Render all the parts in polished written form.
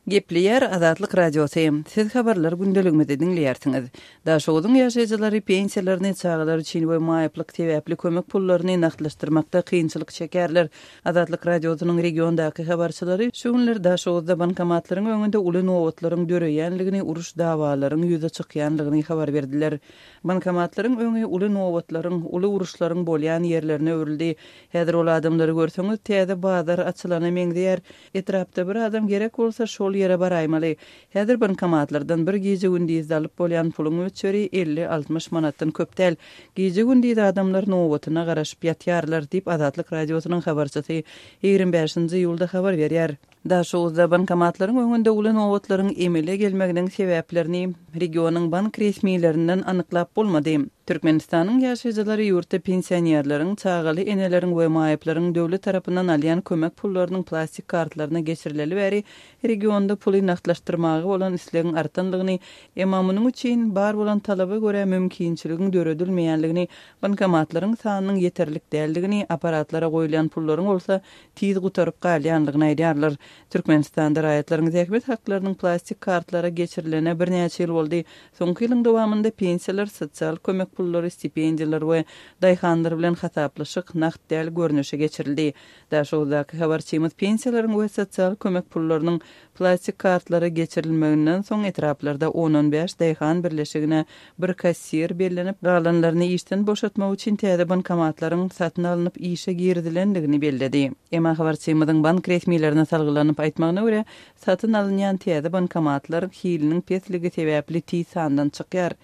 Gepleýär Azatlyk Radiosy, Siz habarlar gündeligimizi diňleýärsiňiz. Daşoguzyň ýaşaýjylary pensiýalaryny, çagalar üçin we maýyplyk sebäpli kömek pullaryny nagtlaşdyrmakda kynçylyk çekýärler. Azatlyk Radiosynyň regiondaky habarçylary şu günler Daşoguzda bankomatlaryň öňünde uly nobatlaryň döreýänligini, uruş-dawalaryň ýüze çykýanlygyny habar berdiler. Bankomatlaryň öňi uly nobatlaryň, uly uruşlaryň bolýan ýerlerine öwrüldi. Häzir ol adamlary görseňiz, täze bazar açylana meňzeýär. Etrapda bir adam gerek bolsa, şol ýere baraýmaly. Häzir bankomatlardan bir gije-gündizde alyp bolýan puluň möçberi 50-60 manatdan köp däl. Gije-gündiz adamlar nobatyna garaşyp ýatýarlar, diýip, Azatlyk Radiosynyň habarçysy 25-nji iýulda habar berýär. Daşoguzda bankomatlaryň öňünde uly nobatlaryň emele gelmeginiň sebäplerini regionyň bank resmilerinden anyklap bolmady. Türkmenistanyň ýaşaýjylary ýurtda pensionerleriň, çagaly eneleriň we maýyplaryň döwlet tarapyndan alýan kömek pullarynyň plastik kartlaryna geçirileli bäri regionda puly nagtlaşdyrmaga bolan islegiň artanlygyny, emma munuň üçin bar bolan talaba görä mümkinçiligiň döredilmeýänligini, bankomatlaryň sanynyň ýeterlik däldigini, apparatlara goýulýan pullaryň bolsa tiz gutaryp galýanlygyny aýdýarlar. Türkmenistanda raýatlaryň zähmet haklarynyň plastik kartlara geçirilene birnäçe ýyl boldy. Soňky ýylyň dowamynda pensiýalar, sosial kömek pullary, stipendiýalar we daýhanlar bilen hasaplaşyk nagt däl görnüşe geçirildi. Daşoguzdaky habarçymyz pensiýalaryň we sosial kömek pullarynyň Plastik kartlara geçirilmeginden soň etraplarda on-on bäş daýhan birleşigine bir kassir bellenip, galanlaryny işden boşatmak üçin täze bankomatlaryň satyn alnyp işe girizilendigini belledi. Emma habarçymyzyň bank resmilerine salgylanyp aýtmagyna görä, satyn alynýan täze bankomatlar hiliniň pesligi sebäpli tiz sandan çykýar.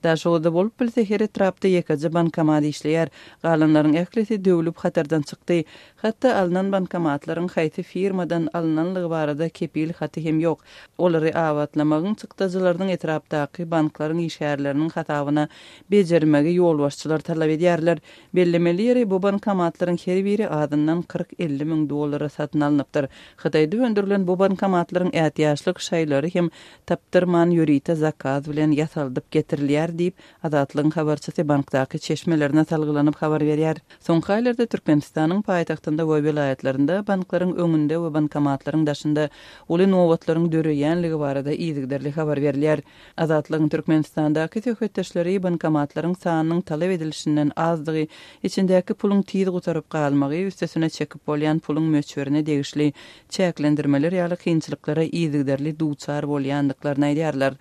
Daşoguzda bolup bilse her etrapda ýekeje bankomat işleýär. Galanlaryň ählisi döwlüp hatardan çykdy. Hatda alnan bankomatlaryň haýsy firmadan alnanlygy barada kepil haty hem ýok. Olary abatlamagyň çykdajylarynyň etrapdaky banklaryň işgärleriniň hasabyna bejermegi ýolbaşçylar talap edýärler. Bellemeli ýeri, bu bankomatlaryň her biri azyndan 40-50 müň dollara satyn alnypdyr. Hytaýda öndürilen bu bankomatlaryň ätiýaçlyk şaýlary hem tapdyrman ýörite zakaz bilen ýasaldyp getirilýär diýip, Azatlygyň habarçysy bankdaky çeşmelerine salgylanyp habar berýär. Soňky aýlarda Türkmenistanyň paýtagtynda we welaýatlarynda banklaryň öňünde we bankomatlaryň daşynda uly nobatlaryň döreýänligi barada yzygiderli habar berilýär. Azatlygyň Türkmenistandaky söhbetdeşleri bankomatlaryň sanynyň talap edilişinden azdygy, içindäki puluň tiz gutaryp galmagy, üstesine çekip bolýan puluň möçberine degişli çäklendirmeler ýaly kynçylyklara yzygiderli duçar bolýandyklaryny aýdýarlar.